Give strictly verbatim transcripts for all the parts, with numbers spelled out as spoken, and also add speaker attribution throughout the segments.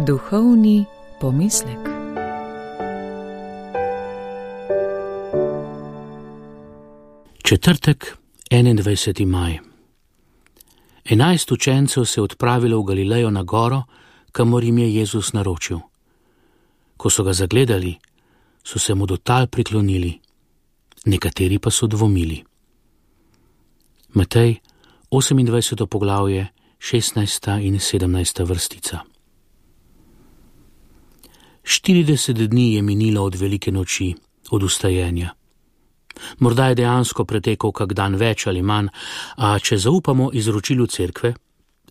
Speaker 1: Duhovni pomislek.
Speaker 2: Četrtek, enaindvajseti maj. Enajst učencev se je odpravilo v Galilejo na goro, kamor jim je Jezus naročil. Ko so ga zagledali, so se mu do tal priklonili, nekateri pa so dvomili. Matej, osemindvajseto poglavje, šestnajsta in sedemnajsta vrstica. Štirideset dni je minilo od velike noči, od vstajenja. Morda je dejansko pretekel kak dan več ali manj, a če zaupamo izročilu cerkve,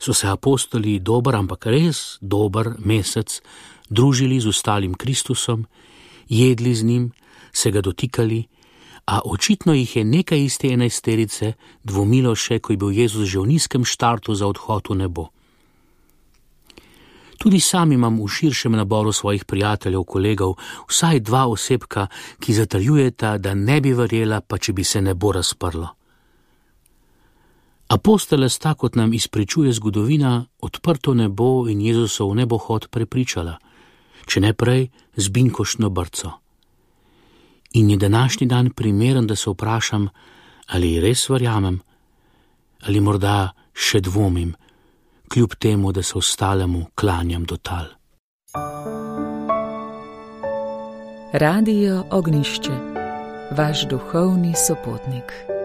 Speaker 2: so se apostoli dober, ampak res dober mesec družili z ostalim Kristusom, jedli z njim, se ga dotikali, a očitno jih je nekaj iz te enajsterice dvomilo še, ko je bil Jezus že v nizkem štartu za odhod v nebo. Tudi sam imam v širšem naboru svojih prijateljev, kolegov, vsaj dva osebka, ki zatrjujeta, da ne bi verjela, pa če bi se nebo razprlo. Apostola sta, kot nam izpričuje zgodovina, odprto nebo in Jezusov nebohod prepričala, če ne prej z binkoštno brco. In je današnji dan primeren, da se vprašam, ali res verjamem, ali morda še dvomim, kljub temu, da se ostalemu klanjam do tal.
Speaker 1: Radio Ognjišče, vaš duhovni sopotnik.